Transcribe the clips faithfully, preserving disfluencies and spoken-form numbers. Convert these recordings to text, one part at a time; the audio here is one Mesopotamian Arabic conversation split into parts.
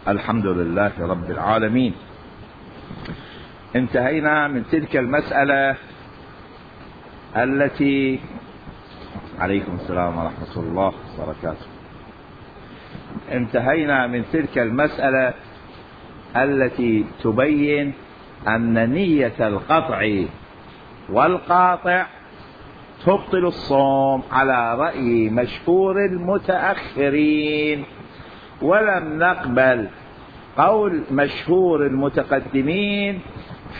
الحمد لله رب العالمين. انتهينا من تلك المسألة التي عليكم السلام ورحمة الله وبركاته. انتهينا من تلك المسألة التي تبين أن نية القطع والقاطع تبطل الصوم على رأي مشهور المتأخرين، ولم نقبل قول مشهور المتقدمين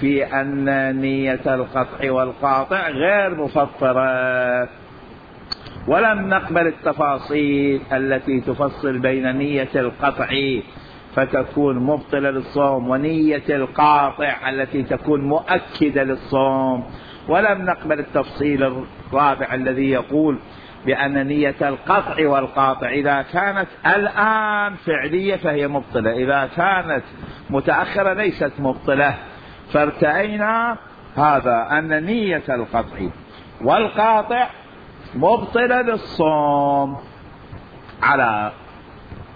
في أن نية القطع والقاطع غير مفطرة، ولم نقبل التفاصيل التي تفصل بين نية القطع فتكون مبطلة للصوم ونية القاطع التي تكون مؤكدة للصوم، ولم نقبل التفصيل الرابع الذي يقول بأن نية القطع والقاطع إذا كانت الآن فعلية فهي مبطلة، إذا كانت متأخرة ليست مبطلة. فارتأينا هذا أن نية القطع والقاطع مبطلة للصوم على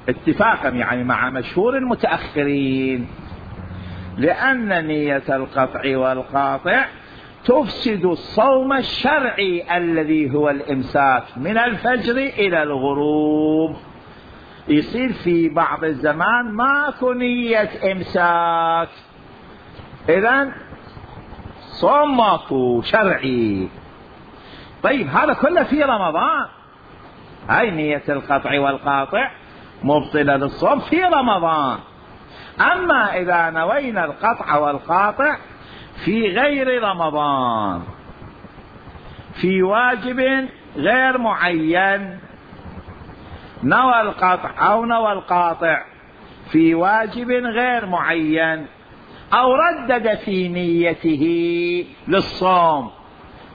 اتفاقا يعني مع مشهور المتأخرين، لأن نية القطع والقاطع تفسد الصوم الشرعي الذي هو الإمساك من الفجر إلى الغروب. يصير في بعض الزمان ماكو نية إمساك، إذن صوم ماكو شرعي. طيب هذا كله في رمضان، هاي نية القطع والقاطع مبطلة للصوم في رمضان. أما إذا نوينا القطع والقاطع في غير رمضان في واجب غير معين، نوى القطع أو نوى القاطع في واجب غير معين، أو ردد في نيته للصوم،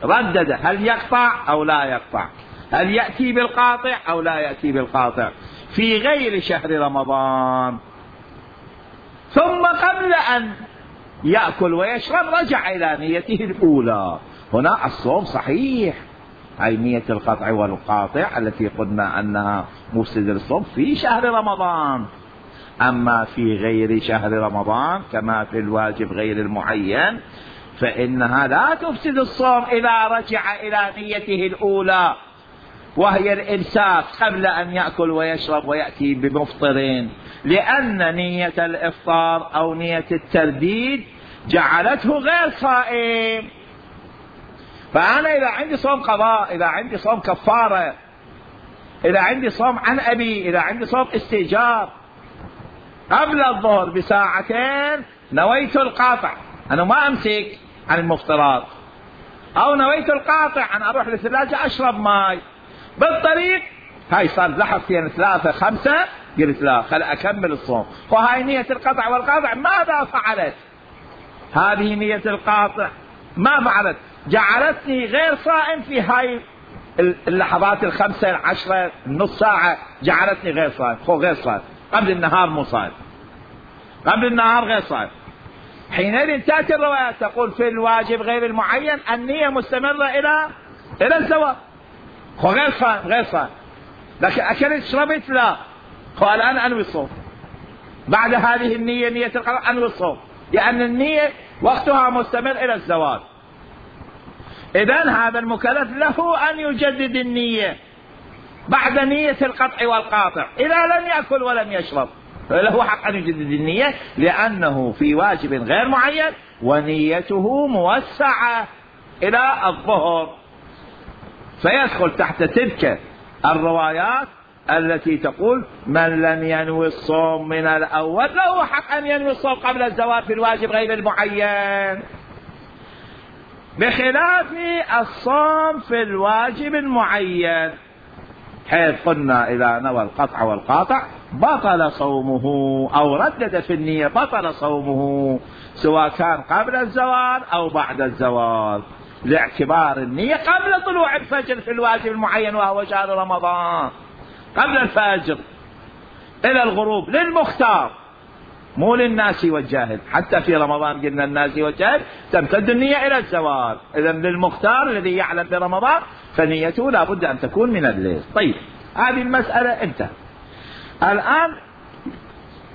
ردد هل يقطع أو لا يقطع، هل يأتي بالقاطع أو لا يأتي بالقاطع في غير شهر رمضان، ثم قبل أن يأكل ويشرب رجع إلى نيته الأولى، هنا الصوم صحيح. هاي نية القطع والقاطع التي قلنا أنها مفسدة للصوم في شهر رمضان. أما في غير شهر رمضان كما في الواجب غير المعين فإنها لا تفسد الصوم إذا رجع إلى نيته الأولى وهي الإمساك قبل أن يأكل ويشرب ويأتي بمفطرين، لأن نية الإفطار أو نية الترديد جعلته غير صائم. فأنا إذا عندي صوم قضاء، إذا عندي صوم كفارة، إذا عندي صوم عن أبي، إذا عندي صوم استئجار، قبل الظهر بساعتين نويت القاطع، أنا ما أمسك عن المفطرات، أو نويت القاطع أن أروح للثلاجة أشرب ماء بالطريق، هاي صار لحظتين ثلاثة خمسة، قلت لا خل أكمل الصوم. وهاي نية القطع والقاطع ماذا فعلت؟ هذه نية القاطع ما فعلت؟ جعلتني غير صائم في هاي اللحظات الخمسة العشرة النص ساعة، جعلتني غير صائم. هو غير صائم قبل النهار، مو صائم قبل النهار، غير صائم. حينئذ تأتي الروايات تقول في الواجب غير المعين النية مستمرة إلى إلى الزواج، هو غير صائم غير صائم. لكن أكلت شربت لا، هو الآن أنوي الصوم بعد هذه النية، نية القضاء أنوي الصوم، لأن يعني النية وقتها مستمر إلى الزواج. إذن هذا المكلف له أن يجدد النية بعد نية القطع والقاطع إذا لم يأكل ولم يشرب، له حق أن يجدد النية لأنه في واجب غير معين ونيته موسعة إلى الظهر، فيدخل تحت تلك الروايات التي تقول من لم ينوي الصوم من الأول له حق أن ينوي الصوم قبل الزواج في الواجب غير المعين، بخلاف الصوم في الواجب المعين، حيث قلنا إذا نوى القطع والقاطع بطل صومه أو ردد في النية بطل صومه سواء كان قبل الزوال أو بعد الزوال، لاعتبار النية قبل طلوع الفجر في الواجب المعين وهو شهر رمضان، قبل الفجر إلى الغروب للمختار مو للناس والجاهل. حتى في رمضان قلنا الناس والجاهل تمتد النية إلى الزوال، إذن للمختار الذي يعلم برمضان فنيته لا بد أن تكون من الليل. طيب هذه المسألة انتهت. الآن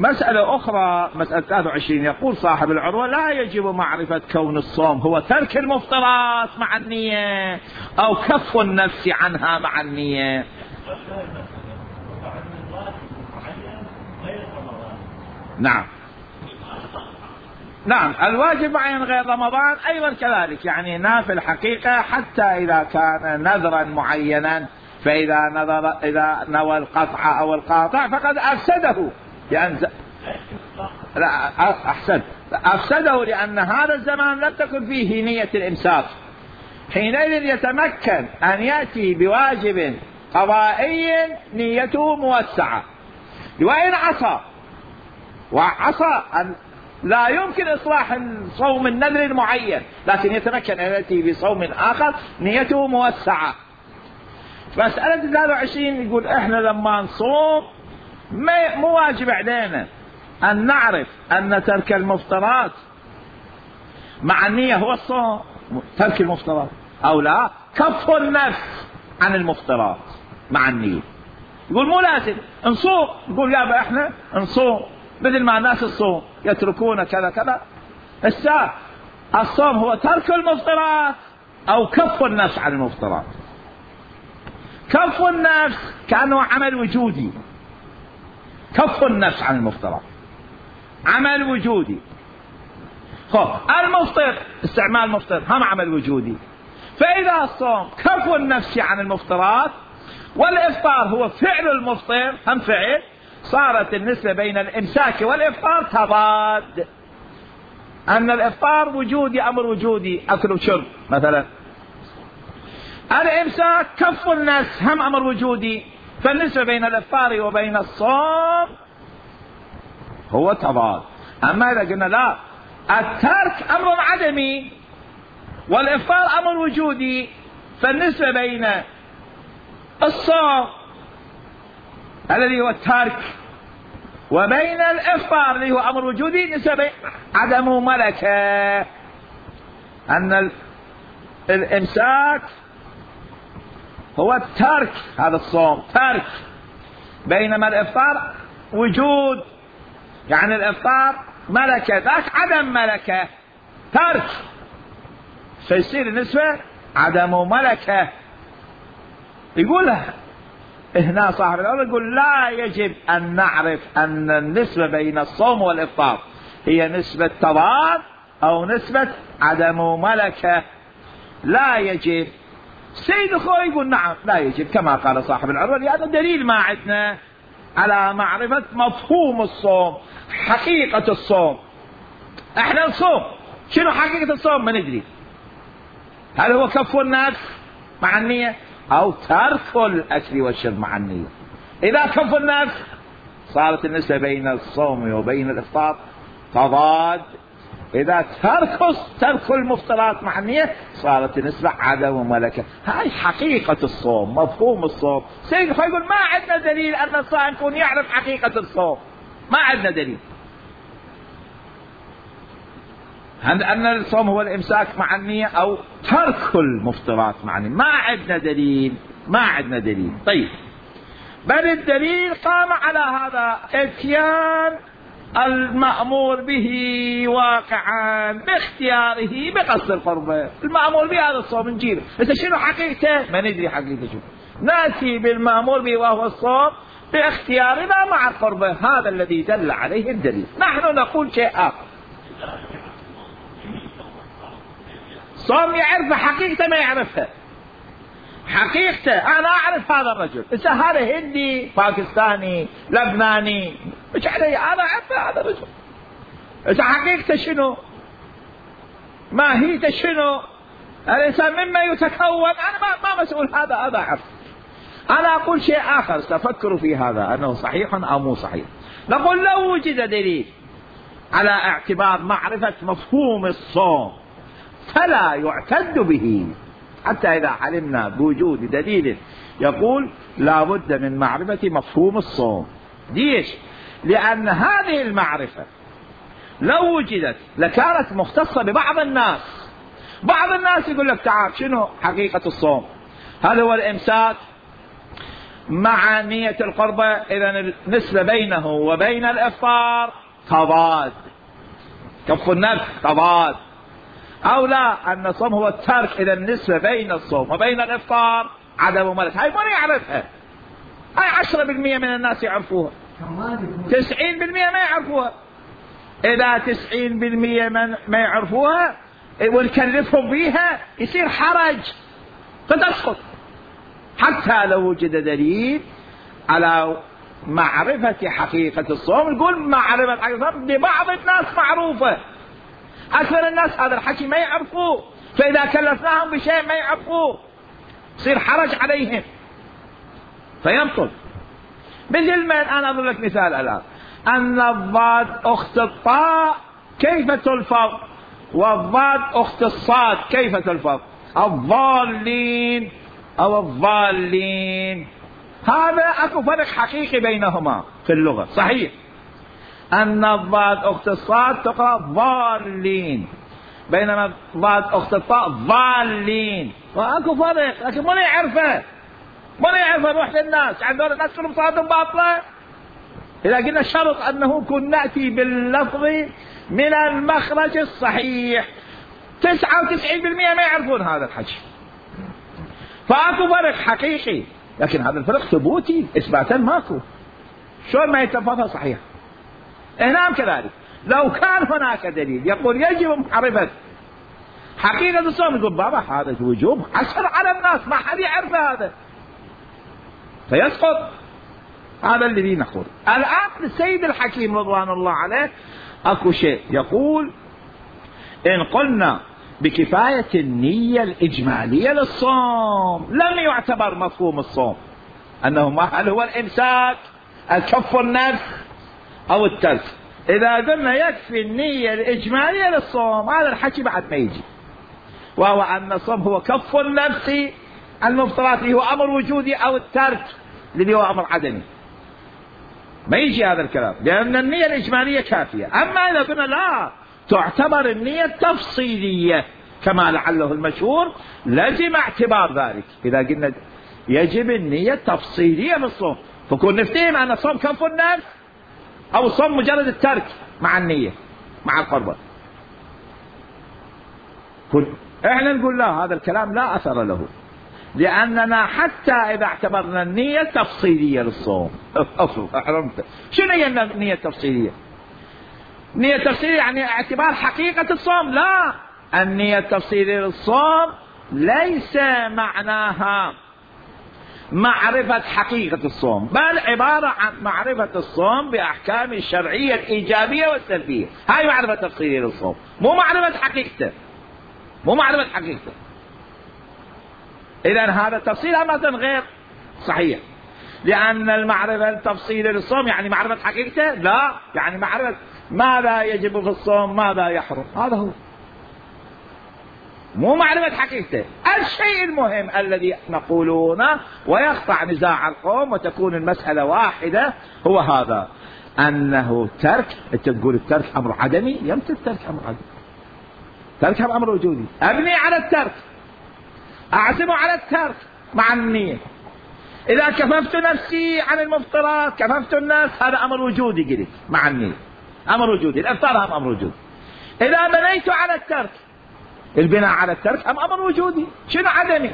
مسألة أخرى، مسألة ثلاثة وعشرين، يقول صاحب العروة: لا يجب معرفة كون الصوم هو ترك المفطرات مع النية أو كف النفس عنها مع النية. نعم نعم، الواجب معين غير رمضان أيضا كذلك، يعني نافل الحقيقة حتى إذا كان نذرا معينا، فإذا نذر إذا نوى القطع أو القاطع فقد أفسده، لأن لا أحسن أفسده لأن هذا الزمان لم تكن فيه نية الإمساك، حينئذ يتمكن أن يأتي بواجب قضائي نيته موسعة، وإن عصى وعصى أن لا يمكن إصلاح صوم النذر المعين، لكن يتمكن أن يأتي بصوم آخر نيته موسعة. مسألة ثلاثة وعشرين يقول إحنا لما نصوم مو واجب علينا أن نعرف أن ترك المفطرات مع النية هو الصوم، ترك المفطرات أو لا، كف النفس عن المفطرات مع النية. يقول مو لازم نصوم، يقول يابا إحنا نصوم مثل ما الناس الصوم يتركون كذا كذا. الساعة الصوم هو ترك المفطرات أو كف النفس عن المفطرات. كف النفس كأنه عمل وجودي، كف النفس عن المفطرات عمل وجودي. خب المفطر استعمال المفطر هم عمل وجودي، فإذا الصوم كف النفس عن المفطرات والإفطار هو فعل المفطر هم فعل، صارت النسبة بين الإمساك والإفطار تضاد، أن الإفطار وجودي أمر وجودي أكل وشرب مثلا، الإمساك كف النفس هم أمر وجودي، فالنسبة بين الإفطار وبين الصوم هو تضاد. أما إذا قلنا لا، الترك أمر عدمي والإفطار أمر وجودي، فالنسبة بين الصوم الذي هو الترك وبين الإفطار الذي هو أمر وجودي نسبة عدم ملكة، أن الإمساك هو الترك، هذا الصوم ترك، بينما الإفطار وجود، يعني الإفطار ملكة ذاك عدم ملكة ترك، فيصير النسبة عدم ملكة. يقول هنا صاحب الأول يقول لا يجب أن نعرف أن النسبة بين الصوم والإفطار هي نسبة تضاد أو نسبة عدم ملكة، لا يجب. سيد أخوي يقول نعم لا يجب كما قال صاحب العروة، لأن دليل ما عندنا على معرفة مفهوم الصوم، حقيقة الصوم. احنا نصوم، شنو حقيقة الصوم ما ندري، هل هو كف النفس مع النية أو ترك الأكل والشرب مع النية. إذا كف النفس صارت النسبة بين الصوم وبين الإفطار تضاد، إذا ترك ترك المفطرات مع النية صارت النسبة عدم ملكة. هاي حقيقة الصوم، مفهوم الصوم. سيد يقول ما عندنا دليل أن الصائم يكون يعرف حقيقة الصوم، ما عندنا دليل أن الصوم هو الإمساك مع النية أو ترك المفطرات مع النية، ما عندنا دليل، ما عندنا دليل. طيب بل الدليل قام على هذا، اتيان المأمور به واقعا باختياره بقصد القربة. المأمور به هذا الصوم نجيبه، إذا شنو حقيقته ما ندري حقيقته شو، نأتي بالمأمور به وهو الصوم باختيارنا مع القربة، هذا الذي دل عليه الدليل. نحن نقول شيء آخر، صوم يعرف حقيقته ما يعرفها، حقيقته أنا أعرف هذا الرجل، إذا هذا هندي باكستاني لبناني مش علي، أنا أعرف هذا الرجل، إذا حقيقته شنو ماهيته شنو الإنسان مما يتكون، أنا ما, ما مسؤول هذا، هذا أعرف. أنا أقول شيء آخر سأفكر في هذا أنه صحيح أو مو صحيح. نقول لو وجد دليل على اعتبار معرفة مفهوم الصوم فلا يعتد به، حتى إذا علمنا بوجود دليل يقول لا بد من معرفة مفهوم الصوم. ليش؟ لأن هذه المعرفة لو وجدت لكانت مختصة ببعض الناس. بعض الناس يقول لك تعال شنو حقيقة الصوم، هل هو الإمساك مع نية القربة، إذا النسبة بينه وبين الإفطار تضاد، كف النفس تضاد. أو لا، أن الصوم هو الترك، إذا النسبة بين الصوم وبين الإفطار عدم ممارسة. هاي من يعرفها؟ هاي عشرة بالمئة من الناس يعرفوها، تسعين بالمئة ما يعرفوها. إذا تسعين بالمئة من ما يعرفوها ونكلفهم بيها يصير حرج فتسقط، حتى لو وجد دليل على معرفة حقيقة الصوم. نقول معرفة حقيقة الصوم لبعض الناس معروفة، أكثر الناس هذا الحكي ما يعرفوه، فإذا كلفناهم بشيء ما يعرفوه يصير حرج عليهم فيبطل. مثل ما أنا أضرب لك مثال الآن، أن الضاد أخت الطاء كيف تلفظ، والضاد أخت الصاد كيف تلفظ؟ الضالين أو الضالين، هذا أكو فرق حقيقي بينهما في اللغة. صحيح أن الضاد أخت الصاد تقرأ ضالين، بينما الضاد أخت الطاء ضالين، وأكو فرق، لكن من يعرفه؟ من يعرفه؟ روح للناس، عندنا الناس كلهم صادهم باطلة. إذا قلنا شرط أنه كن نأتي باللفظ من المخرج الصحيح، تسعة وتسعين بالمئة ما يعرفون هذا الحكي، فأكو فرق حقيقي، لكن هذا الفرق ثبوتي إثباتا ماكو، شلون ما يتفقها صحيح؟ هنا كذلك لو كان هناك دليل يقول يجب معرفة حقيقة الصوم، يقول بابا هذا وجوب عشر على الناس، ما حد يعرف هذا فيسقط. هذا الذي نقول. الآن السيد الحكيم رضوان الله عليه أكو شيء يقول إن قلنا بكفاية النية الإجمالية للصوم لم يعتبر مفهوم الصوم، أنه ما هل هو الإمساك الكف النفس أو الترك. إذا قلنا يكفي النية الإجمالية للصوم هذا الحكي بعد ما يجي، وهو أن الصوم هو كف النفس المفترات اللي هو أمر وجودي، أو الترك اللي هو أمر عدمي، ما يجي هذا الكلام، لأن النية الإجمالية كافية. أما إذا قلنا لا تعتبر النية التفصيلية كما لعله المشهور لازم اعتبار ذلك. إذا قلنا يجب النية التفصيلية في الصوم، فكون نفتهم أن الصوم كف النفس أو الصوم مجرد الترك مع النية مع القربة. احنا نقول لا، هذا الكلام لا أثر له، لأننا حتى إذا اعتبرنا النية التفصيلية للصوم أصل أحرمت. شنو هي النية التفصيلية؟ النية التفصيلية يعني اعتبار حقيقة الصوم؟ لا، النية التفصيلية للصوم ليس معناها معرفة حقيقة الصوم، بل عبارة عن معرفة الصوم بأحكام الشرعية الإيجابية والسلبية. هاي معرفة تفصيلية للصوم، مو معرفة حقيقته، مو معرفة حقيقته. إذن هذا التفصيل أمرا غير صحيح، لأن المعرفة التفصيلية للصوم يعني معرفة حقيقته؟ لا، يعني معرفة ماذا يجب في الصوم ماذا يحرم، هذا هو، مو معرفة حقيقته. الشيء المهم الذي نقولونه ويقطع نزاع القوم وتكون المسألة واحدة هو هذا، أنه ترك. أنت تقول الترك أمر عدمي، يمتى الترك أمر عدمي؟ ترك أمر وجودي، أبني على الترك، أعزم على الترك مع النية. إذا كففت نفسي عن المفطرات كففت الناس، هذا أمر وجودي قلت مع النية، أمر وجودي. الإفطار هم أمر وجودي. إذا بنيت على الترك، البناء على الترك أم أمر وجودي، شنو عدمي؟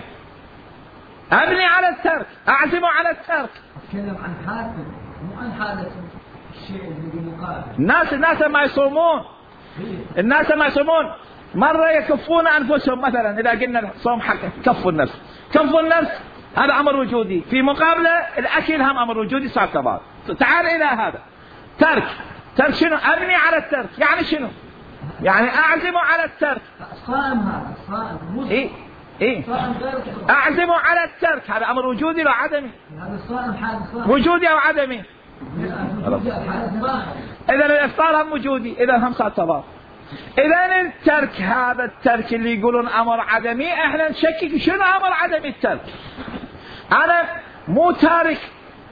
أبني على الترك، أعزم على الترك. أتكلم عن حادث مو عن حادث الشيء اللي مقابل. الناس الناس ما يصومون، الناس ما يصومون مرة يكفون أنفسهم، مثلا إذا قلنا صوم حق كف النفس، كف النفس هذا أمر وجودي، في مقابلة الأكل هم أمر وجودي، صار تضاد. تعال إلى هذا ترك، ترك شنو؟ أبني على الترك، يعني شنو؟ يعني أعزم على الترك. صائم هذا صائم. إيه إيه أعزم على الترك، هذا أمر وجودي ولا عدمي؟ هذا الصائم حادث صائم. وجودي أو عدمي؟ إذا الإفطار هم وجودي، إذا هم صار تضاد. إذا الترك هذا الترك اللي يقولون أمر عدمي، إحنا نشكك شنو أمر عدمي الترك. أنا مو تارك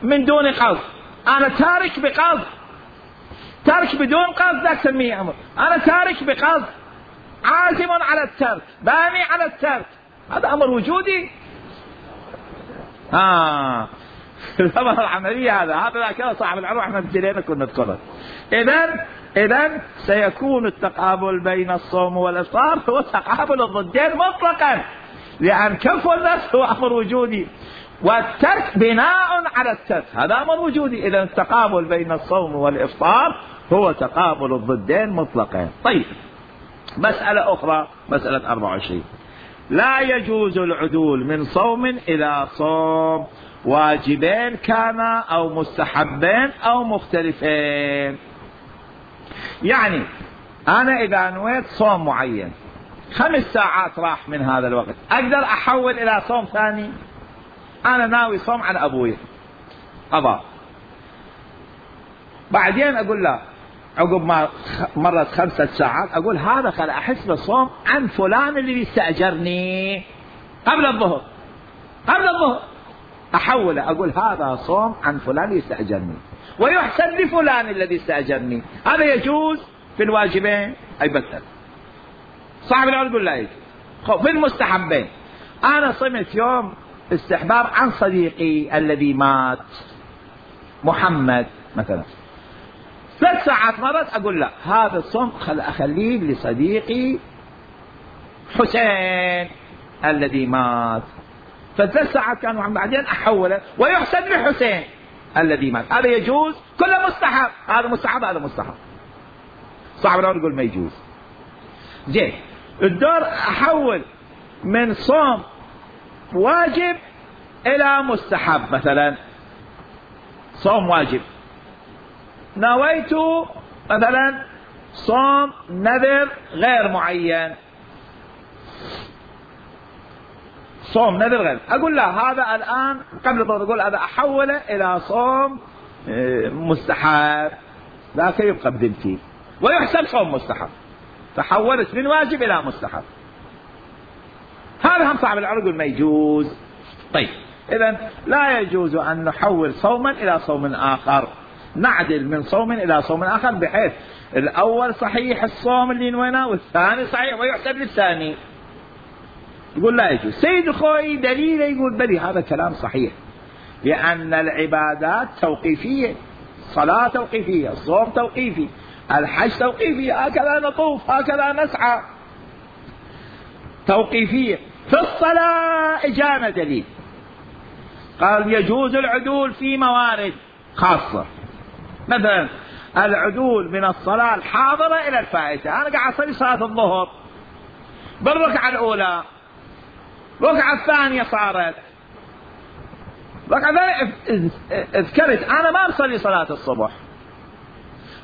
من دون قصد، أنا تارك بقصد. ترك بدون قصد لا تسميه أمر، أنا تارك بقصد، عازم على الترك، باني على الترك، هذا أمر وجودي. آه الأمر العملية هذا هذا كذا صاحب العروة احنا ابتدينا كنا نذكره. إذا إذا سيكون التقابل بين الصوم والإفطار هو تقابل الضدين مطلقا، لأن كف النفس هو أمر وجودي والترك بناء على الترك هذا أمر وجودي. إذا التقابل بين الصوم والإفطار هو تقابل الضدين مطلقا. طيب مسألة أخرى، مسألة أربعة وعشرين، لا يجوز العدول من صوم إلى صوم، واجبين كان أو مستحبين أو مختلفين. يعني أنا إذا نويت صوم معين خمس ساعات راح من هذا الوقت، أقدر أحول إلى صوم ثاني؟ أنا ناوي صوم عن أبوي قضاء، بعدين أقول لا عقب ما مرت خمسة ساعات أقول هذا خل أحس بالصوم عن فلان اللي بيستأجرني قبل الظهر، قبل الظهر أحوله أقول هذا صوم عن فلان يستأجرني ويحسن لفلان الذي استأجرني. هذا يجوز في الواجبين أي بتل. صاحب العلم يقول لا يجوز. في المستحبين أنا صمت يوم استحباب عن صديقي الذي مات محمد مثلا، ثلاث ساعات مرت أقول لا هذا الصوم خل أخليه لصديقي حسين الذي مات، فثلاث ساعات كان محمد بعدين أحوله ويحسن لحسين الذي مات. هذا يجوز، كله مستحب، هذا مستحب هذا مستحب. صاحب العمر يقول ما يجوز. زين الدور أحول من صوم واجب إلى مستحب، مثلا صوم واجب نويت مثلا صوم نذر غير معين، صوم نذر غير، أقول لا هذا الآن قبل الظهر أقول هذا أحوله إلى صوم مستحب، ذاك يبقى بذمتي ويحسب صوم مستحب، تحولت من واجب إلى مستحب. هذا هم صاحب العرض ما يجوز. طيب إذن لا يجوز أن نحول صوما إلى صوم آخر، نعدل من صوم إلى صوم آخر بحيث الأول صحيح الصوم اللي نويناه والثاني صحيح ويحسب للثاني. يقول لا يجوز. سيد خوي دليل يقول بلي هذا كلام صحيح، لأن العبادات توقيفية، الصلاة توقيفية، الصوم توقيفي، الحج توقيفي، هكذا نطوف هكذا نسعى توقيفية. في الصلاة إجانا دليل قال يجوز العدول في موارد خاصة، مثلا العدول من الصلاة الحاضرة إلى الفائتة. أنا قاعد أصلي صلاة الظهر بالركعة الأولى، الركعة الثانية صارت الركعة الثانية اذكرت أنا ما أصلي صلاة الصبح،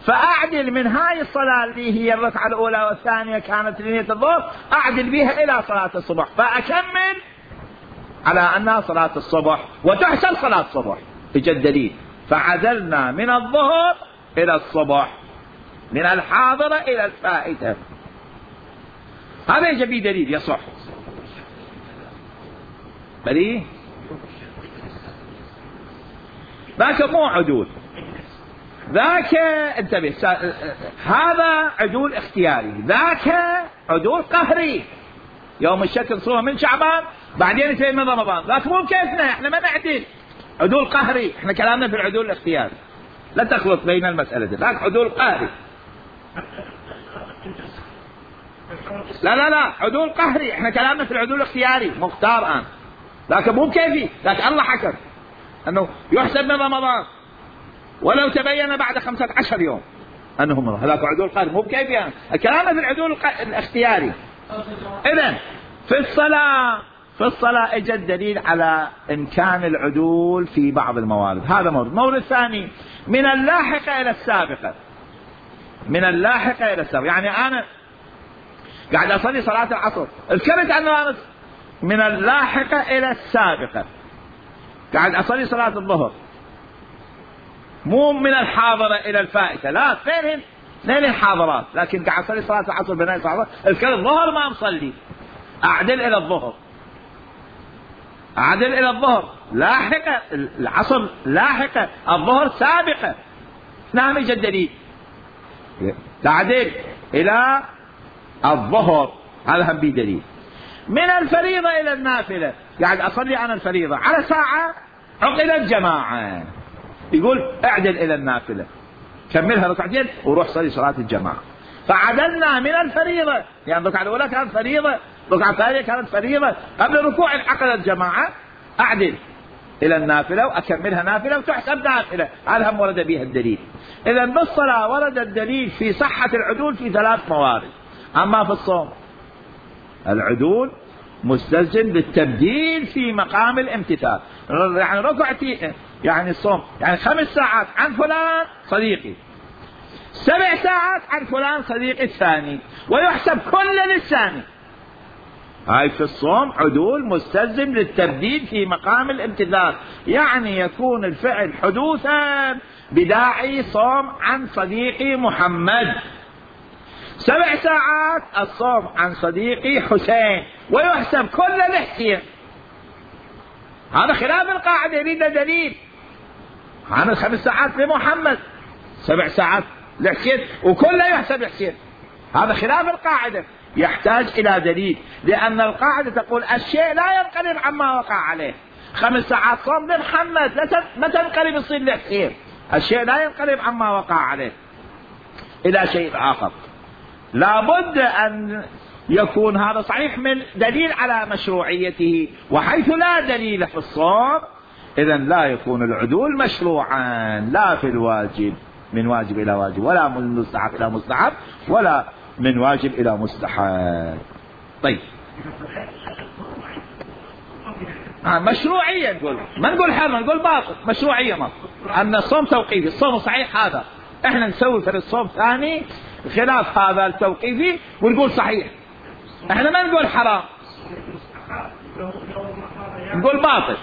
فأعدل من هاي الصلاة اللي هي الركعة الأولى والثانية كانت لنية الظهر أعدل بها إلى صلاة الصبح، فأكمل على أنها صلاة الصبح وتحسب صلاة الصبح. إجا الدليل فعدلنا من الظهر إلى الصبح، من الحاضرة إلى الفائتة. هذا يجي به دليل يصح. بلي ذاك مو عدول، ذاك انتبه هذا عدول اختياري، ذاك عدول قهري. يوم الشك نصوم من شعبان بعدين يتم من رمضان، ذاك مو كيفنا احنا ما نعدل، عدول قهري. احنا كلامنا في العدول الاختياري، لا تخلط بين المسألتين. ذاك عدول قهري، لا لا لا عدول قهري. احنا كلامنا في العدول الاختياري مختار الآن، ذاك مو كيفي، ذاك الله حكم انه يحسب من رمضان ولو تبين بعد خمسة عشر يوم انه مرض. هذاك عدول قهري مو كيفي يعني. كلامنا في العدول الاختياري. اذن في الصلاة في الصلاة اجى الدليل على امكان العدول في بعض الموارد. هذا مورد. مورد ثاني من اللاحقة الى السابقة، من اللاحقة الى السابقة. يعني انا قاعد اصلي صلاة العصر اذكرت انه انا من اللاحقة الى السابقة، قاعد اصلي صلاة الظهر مو من الحاضرة الى الفائتة، لا اثنين اثنين الحاضرات، لكن قاعد اصلي صلاة العصر بين صلاة اذكر الظهر ما مصلي اعدل الى الظهر، اعدل الى الظهر لاحقة، العصر لاحقة، الظهر سابقة. نعم يجي الدليل تعدل الى الظهر، هذا هم بدليل. من الفريضة الى النافلة، قاعد اصلي انا الفريضة على ساعة عقدت جماعة، يقول اعدل إلى النافلة، كملها ركعتين وروح صلي صلاة الجماعة. فعدلنا من الفريضة، يعني الركعة الأولى كانت فريضة، الركعة الثانية كانت فريضة، قبل الركوع انعقدت جماعة، أعدل إلى النافلة وأكملها نافلة وتحسب نافلة، هذا هم ورد بها الدليل. إذا بالصلاة ورد الدليل في صحة العدول في ثلاث موارد. أما في الصوم العدول مستلزم للتبديل في مقام الامتثال، يعني ركعتي يعني الصوم يعني خمس ساعات عن فلان صديقي، سبع ساعات عن فلان صديقي الثاني، ويحسب كل للثاني. هاي في الصوم عدول مستلزم للتبديل في مقام الامتثال، يعني يكون الفعل حدوثا بداعي صوم عن صديقي محمد، سبع ساعات الصوم عن صديقي حسين، ويحسب كل لحسين. هذا خلاف القاعدة، يريد دليل عن الخمس ساعات لمحمد، سبع ساعات لحسين، وكله يحسب حسين. هذا خلاف القاعدة، يحتاج إلى دليل، لأن القاعدة تقول الشيء لا ينقلب عما وقع عليه. خمس ساعات صوم لمحمد ما تنقلب تصير لحسين، الشيء لا ينقلب عما وقع عليه إلى شيء آخر. لابد أن يكون هذا صحيح من دليل على مشروعيته، وحيث لا دليل في الصوم إذن لا يكون العدول مشروعا، لا في الواجب من واجب إلى واجب، ولا من مستحب إلى مستحب، ولا من واجب إلى مستحب. طيب آه مشروعية نقول، ما نقول حرام، نقول باطل، مشروعية. ما أن الصوم توقيفي، الصوم صحيح هذا، احنا نسوي في الصوم ثاني خلاف هذا التوقيفي ونقول صحيح، احنا ما نقول حرام، نقول باطل.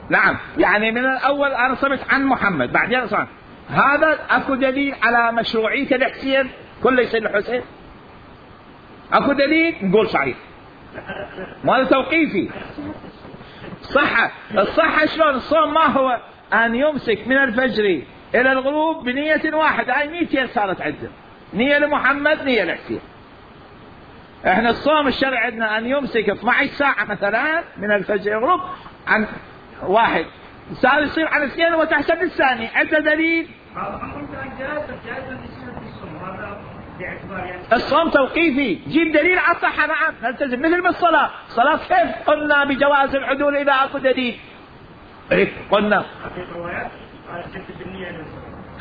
نعم، يعني من الأول أنا صمت عن محمد، بعدين صمت، هذا أكو دليل على مشروعية الحسين كله يصير الحسين؟ أكو دليل نقول صحيح، ما هذا توقيفي. صحة الصحة شلون؟ الصوم ما هو أن يمسك من الفجر إلى الغروب بنية واحدة، هاي نيتين صارت عندنا، نية لمحمد نية لحسين. احنا الصوم الشرعي عندنا أن يمسك اثنتي عشرة ساعة مثلا من الفجر إلى الغروب عن واحد، صار يصير عن اثنين وتحسب الثاني، عنده دليل؟ الصوم توقيفي، جيب دليل على الصحة. نعم نلتزم، مثل بالصلاة، الصلاة كيف قلنا بجواز العدول إذا أكو دليل؟ إيه قلنا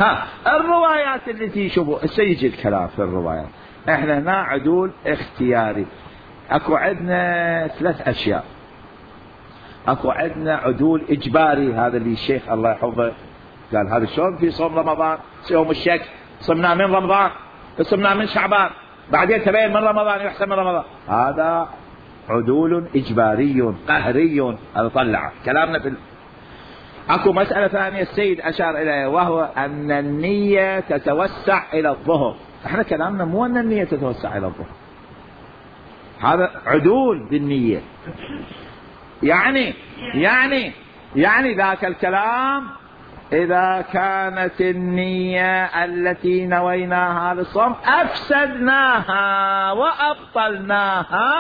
ها الروايات التي شوفوا سيجي الكلام في الروايات. احنا هنا عدول اختياري، اكو عندنا ثلاث اشياء. اكو عندنا عدول اجباري، هذا اللي الشيخ الله يحفظه قال هذا شلون في صوم رمضان، يوم الشك صمنا من رمضان، صمنا من شعبان، بعدين تبين من رمضان يحسب من رمضان، هذا عدول اجباري قهري. هذا طلع كلامنا في ال... اكو مسألة ثانية السيد اشار اليها، وهو ان النية تتوسع الى الظهر. احنا كلامنا مو ان النية تتوسع الى الظهر، هذا عدول بالنية. يعني يعني يعني ذاك الكلام إذا كانت النية التي نويناها للصوم أفسدناها وأبطلناها،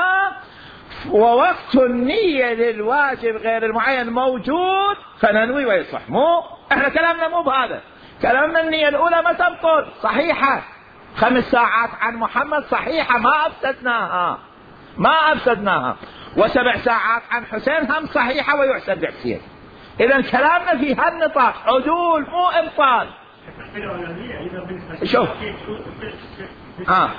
ووقت النية للواجب غير المعين موجود فننوي ويصح. مو احنا كلامنا مو بهذا، كلامنا النية الأولى ما تبطل، صحيحة، خمس ساعات عن محمد صحيحة، ما أفسدناها ما أفسدناها، وسبع ساعات عن حسين هم صحيحة ويحسب حسين. إذا كلامنا في هالنطاق عدول مو إبطال. شوف آه.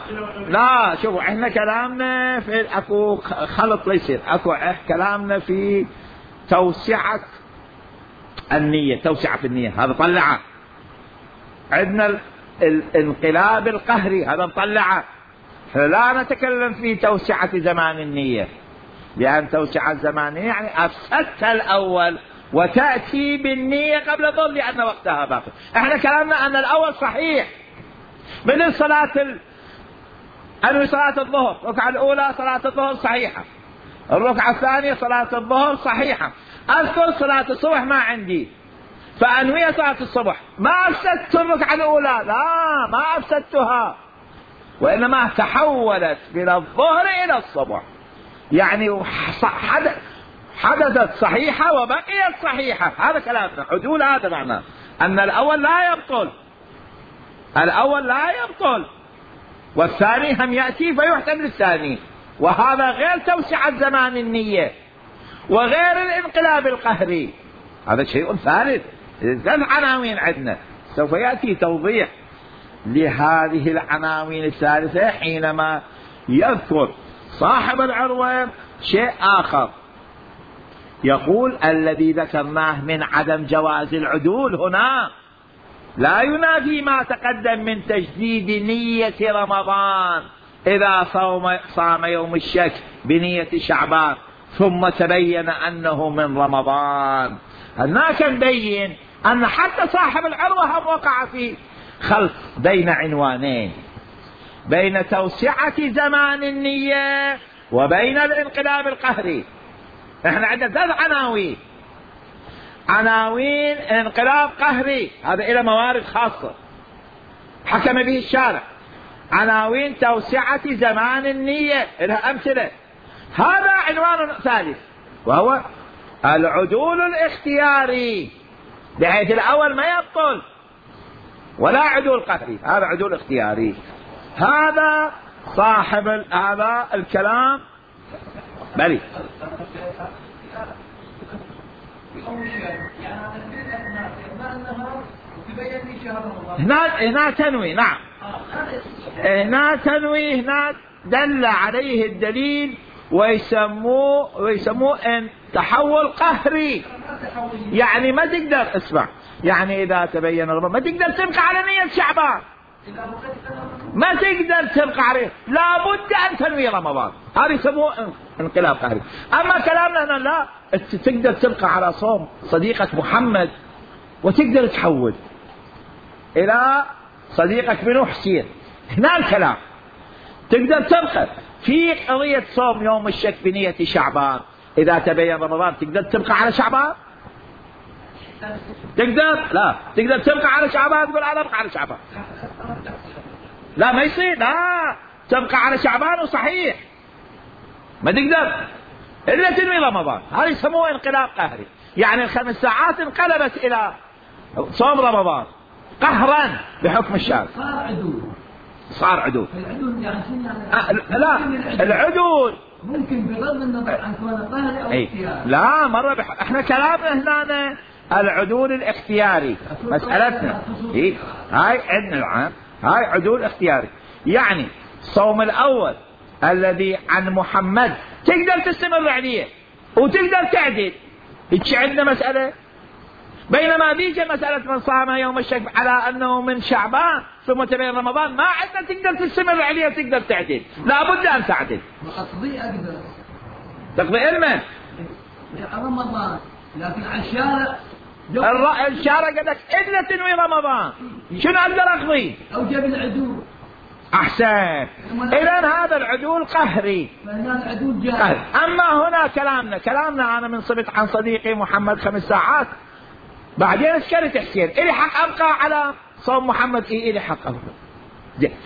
لا شوفوا احنا كلامنا في اكو خلط ليصير، اكو كلامنا في توسعة النية، توسعة النية هذا طلعه. عندنا الانقلاب القهري هذا طلعه. لا نتكلم في توسعة زمان النية، لأن توسعة الزمان يعني أفسدت الأول وتأتي بالنية قبل الظهر لأن وقتها باقي. احنا كلامنا أن الأول صحيح، من صلاة ال... أنوي صلاة الظهر، الركعة الأولى صلاة الظهر صحيحة، الركعة الثانية صلاة الظهر صحيحة، أذكر صلاة الصبح ما عندي فأنوي صلاة الصبح، ما أفسدت الركعة الأولى، لا ما أفسدتها، وإنما تحولت من الظهر إلى الصبح، يعني حدثت صحيحة وبقيت صحيحة. هذا كلامنا عدول، هذا معناه أن الأول لا يبطل، الأول لا يبطل، والثاني هم يأتي فيحتمل الثاني. وهذا غير توسعة زمان النية وغير الانقلاب القهري، هذا شيء ثالث. ثلاث عناوين عندنا، سوف يأتي توضيح لهذه العناوين الثالثة حينما يذكر صاحب العروة شيء آخر. يقول الذي ذكرناه من عدم جواز العدول هنا لا ينافي ما تقدم من تجديد نية رمضان إذا صوم صام يوم الشك بنية شعبان ثم تبين أنه من رمضان. هناك نبين أن حتى صاحب العروة هم وقع في خلط بين عنوانين، بين توسعة زمان النية وبين الانقلاب القهري. احنا عندنا ثلاث عناوين، عناوين انقلاب قهري هذا إلى موارد خاصة حكم به الشارع، عناوين توسعة زمان النية لها أمثلة. هذا عنوان ثالث وهو العدول الاختياري، بحيث الأول ما يبطل ولا عدول قهري، هذا عدول اختياري. هذا صاحب هذا الكلام بلي هنا هنا تنوي، نعم هنا تنوي، هنا دل عليه الدليل ويسموه ويسموه ان تحول قهري. يعني ما تقدر اسمع، يعني اذا تبين رمضان ما تقدر تبقى على نية شعبان، ما تقدر تبقى عليه، لابد ان تنوي رمضان، هذا يسموه انقلاب قهري. اما كلامنا هنا لا، تقدر تبقى على صوم صديقك محمد وتقدر تحول الى صديقك بنو حسين. هنا الكلام تقدر تبقى في قضية صوم يوم الشك بنية شعبان إذا تبين رمضان، تقدر تبقى على شعبان؟ تقدر؟ لا، تقدر تبقى على شعبان تقول أنا أبقى على شعبان، لا ما يصير، لا تبقى على شعبان وصحيح ما تقدر إلا تنوي رمضان. هذا يسموه انقلاب قهري، يعني الخمس ساعات انقلبت إلى صوم رمضان قهرا بحكم الشارع. صار عدول، صار عدول. العدول يعني أه لا العدول ممكن بغض النظر عن كونه قهري او اختياري. لا مرة بح... احنا كلامنا هنا العدول الاختياري مسألتنا. إيه؟ هاي عندنا العام هاي عدول اختياري، يعني صوم الأول الذي عن محمد تقدر تستمر عليه وتقدر تعدل، هيك عندنا مسألة. بينما بيجي مسألة من صام يوم الشك على أنه من شعبان ثم تبين رمضان ما عندنا تقدر تستمر عليه وتقدر تعدل، لابد أن تعدل. أقضي أقدر تقضي علما رمضان، لكن على الشارع الر... الشارع قال لك إلا تنوي رمضان، شنو أقدر أقضي؟ أوجب العدول. أحسن، إذن هذا العدول قهري. العدول جاهز. قهري. أما هنا كلامنا كلامنا أنا من صبت عن صديقي محمد خمس ساعات، بعدين اشكرت حسين إلي حق أبقى على صوم محمد، إيه إلي حق أبقى،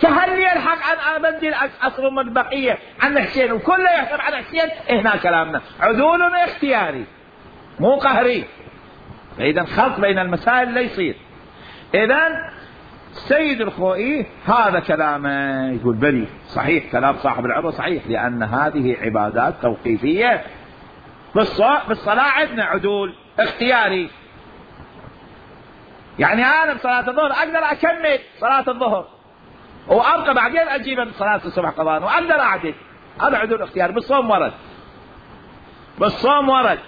فهل لي الحق أن أبدل أصل من البقية عن حسين وكله يحسب على حسين؟ هنا كلامنا عدول اختياري مو قهري. فإذا خلط بين المسائل لا يصير. إذن السيد الخوئي هذا كلامه يقول بلي صحيح، كلام صاحب العروة صحيح، لأن هذه عبادات توقيفية. بالصلاة عندنا عدول اختياري، يعني أنا بصلاة الظهر أقدر أكمل صلاة الظهر وأبقى بعدين أجيب صلاة الصبح قضاء وأقدر أعدل، هذا عدول اختياري. بالصوم ورد، بالصوم ورد،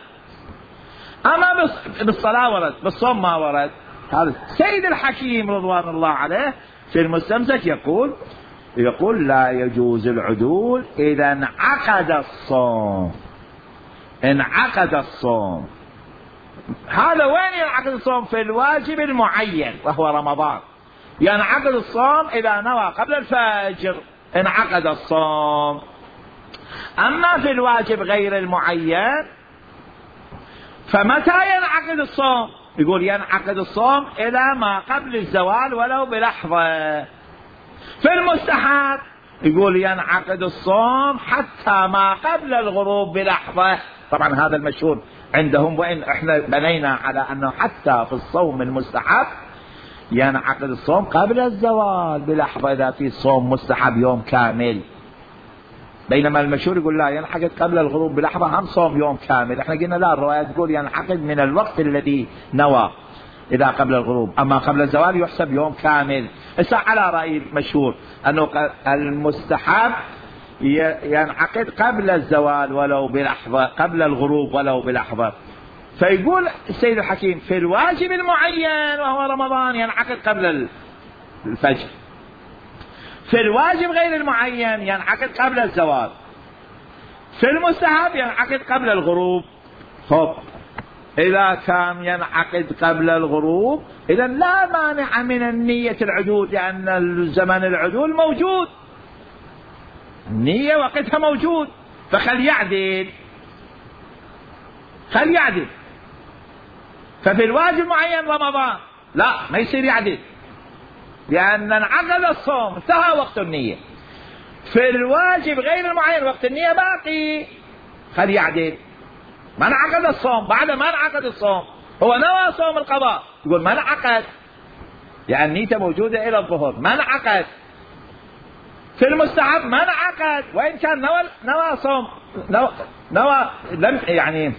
أما بالصلاة ورد، بالصوم ما ورد. هذا سيد الحكيم رضوان الله عليه في المستمسك يقول يقول لا يجوز العدول إذا انعقد الصوم، انعقد الصوم. هذا وين ينعقد الصوم؟ في الواجب المعين وهو رمضان. ينعقد الصوم إذا نوى قبل الفجر انعقد الصوم. أما في الواجب غير المعين فمتى ينعقد الصوم؟ يقول ينعقد الصوم إلى ما قبل الزوال ولو بلحظة. في المستحب يقول ينعقد الصوم حتى ما قبل الغروب بلحظة. طبعا هذا المشهور عندهم، وإن احنا بنينا على أنه حتى في الصوم المستحب ينعقد الصوم قبل الزوال بلحظة إذا في صوم مستحب يوم كامل، بينما المشهور يقول لا ينعقد قبل الغروب بلحظة هم صوم يوم كامل. احنا قلنا لا، الرواية تقول ينعقد من الوقت الذي نوى إذا قبل الغروب، أما قبل الزوال يحسب يوم كامل. إذا على رأي المشهور أنه المستحب ينعقد قبل الزوال ولو بلحظة، قبل الغروب ولو بلحظة. فيقول السيد الحكيم في الواجب المعين وهو رمضان ينعقد قبل الفجر، في الواجب غير المعين ينعقد قبل الزوال، في المستحب ينعقد قبل الغروب. خب إذا كان ينعقد قبل الغروب إذا لا مانع من النية العدول، لأن زمن العدول موجود، النية وقتها موجود، فخل يعدل خل يعدل. ففي الواجب معين رمضان لا ما يصير يعدل، لأن انعقد الصوم انتهى وقت النية. في الواجب غير المعين وقت النية باقي، خل يعدل. ما انعقد الصوم، بعد ما انعقد الصوم هو نوى صوم القضاء، يقول ما انعقد لأن نيته موجودة إلى الظهر، ما انعقد. في المستحب ما انعقد، وإن كان نوى نوى صوم نوى, نوى لم يعني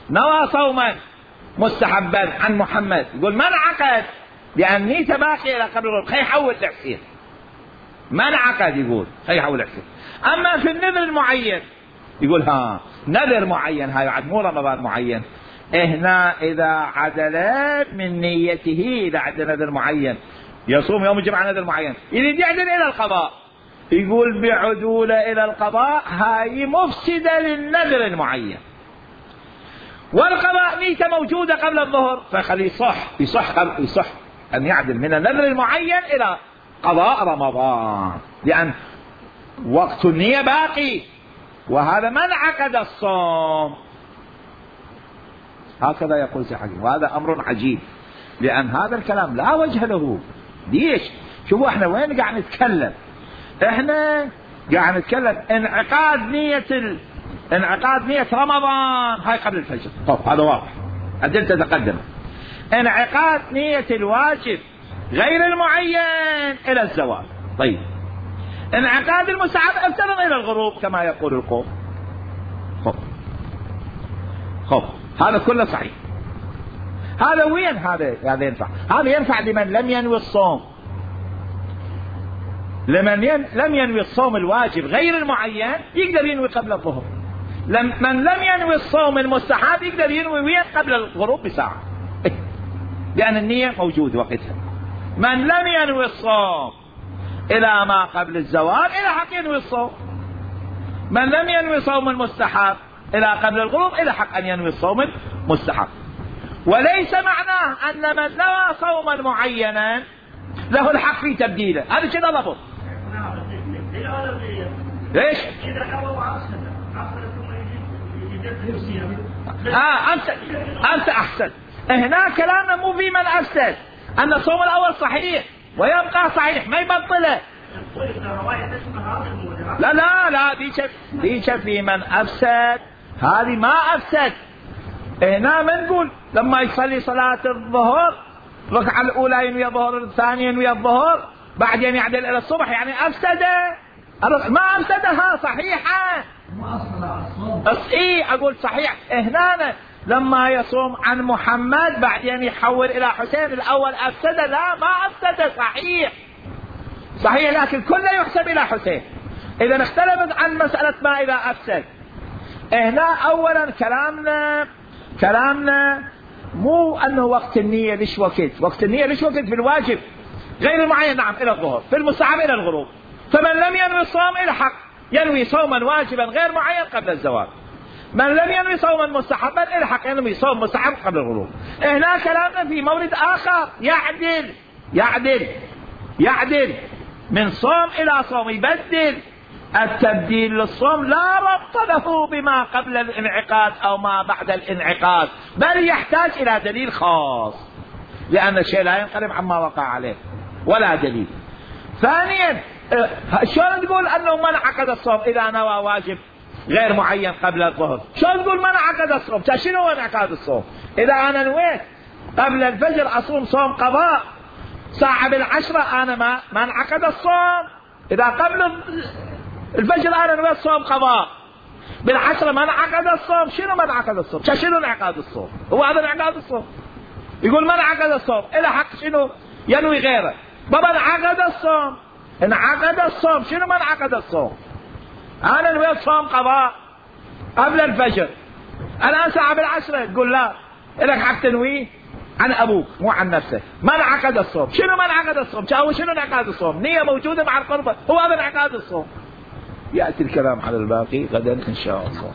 نوى صوما مستحبا عن محمد، يقول ما انعقد لأن نيته باقية إلى قبل الغروب، خي يحول الحسين ما انعقد، يقول خي يحول الحسين. أما في النذر المعين يقول ها نذر معين هاي بعد مو رمضان معين، هنا إذا عدلت من نيته، إذا عدل نذر معين يصوم يوم الجمعة نذر معين يريد يعدل إلى القضاء، يقول بعدوله إلى القضاء هاي مفسدة للنذر المعين، والقضاء نيته موجودة قبل الظهر، فخلي يصح يصح يصح أن يعدل من النذر المعين إلى قضاء رمضان، لأن وقت النية باقي، وهذا ما انعقد الصوم. هكذا يقول سي حكيم، وهذا أمر عجيب، لأن هذا الكلام لا وجه له. ليش؟ شوفوا احنا وين قاعد نتكلم، احنا قاعد نتكلم انعقاد نية ال... انعقاد نية رمضان هاي قبل الفجر، طب هذا واضح، أدلة تتقدم. انعقاد نية الواجب غير المعين إلى الزوال، طيب انعقاد المستحب افترض إلى الغروب كما يقول القوم. خب خب هذا كله صحيح، هذا وين هذا هذا ينفع؟ هذا ينفع لمن لم ينوي الصوم، لمن ين... لم ينوي الصوم الواجب غير المعين يقدر ينوي قبل الظهر، لم... من لم ينوي الصوم المستحب يقدر ينوي وين قبل الغروب بساعة لأن النية موجود وقتها. من لم ينوي الصوم إلى ما قبل الزوال إلى حق ينوي الصوم، من لم ينوي صوم المستحب إلى قبل الغروب إلى حق أن ينوي الصوم المستحب. وليس معناه أن من نوى صوما معينا له الحق في تبديله، هذا كذا ضبط. ليش؟ آه أنت أنت أحسن. هنا كلامنا مو في من أفسد، أن الصوم الأول صحيح ويبقى صحيح ما يبطله. لا لا لا ديش في من أفسد، هذه ما أفسد. هنا ما نقول لما يصلي صلاة الظهر الركعة الأولى ينوي الظهر، الثانية ينوي الظهر، بعدين يعدل إلى الصبح، يعني أفسد؟ ما أفسدها صحيحة. إيه أقول صحيح. هنا لما يصوم عن محمد بعدين يحول إلى حسين الأول أفسد؟ لا ما أفسد، صحيح صحيح، لكن كله يحسب إلى حسين. إذا اختلفت عن مسألة ما إذا أفسد. هنا أولا كلامنا كلامنا مو أنه وقت النية ليش وقت، وقت النية ليش وقت في الواجب غير المعين نعم إلى الظهر، في المستحب إلى الغروب. فمن لم ينوي الصوم إلى حق ينوي صوما واجبا غير معين قبل الزوال، من لم ينوي صوما مستحبا إلى حق ينوي صوم مستحب قبل الغروب. هنا كلامنا في مورد آخر، يعدل يعدل يعدل من صوم إلى صوم، يبدل. التبديل للصوم لا ربط له بما قبل الانعقاد أو ما بعد الانعقاد، بل يحتاج إلى دليل خاص، لأن الشيء لا ينقلب عما وقع عليه ولا دليل. ثانيا شلون تقول انه ما انعقد الصوم اذا نوى واجب غير معين قبل الظهر؟ شلون تقول ما انعقد الصوم؟ شنو هو انعقاد الصوم؟ اذا انا نويت قبل الفجر اصوم صوم قضاء ساعة بالعشرة انا ما ما انعقد الصوم. اذا قبل الفجر انا نويت صوم قضاء بالعشرة ما انعقد الصوم. شنو ما انعقد الصوم؟ شنو انعقاد الصوم؟ هو هذا انعقاد الصوم؟ يقول ما انعقد الصوم الى حق شنو؟ ينوي غيره. بابا انعقد الصوم، انعقد الصوم. شنو ما انعقد الصوم؟ انا نويت صوم قضاء قبل الفجر الان ساعة بالعشرة، تقول لا لك حق تنويه عن ابوك مو عن نفسك. ما انعقد الصوم. شنو ما انعقد الصوم؟ شنو انعقاد الصوم؟ نية موجودة مع القربة، هو هذا انعقاد الصوم. يأتي الكلام على الباقي غدا ان شاء الله.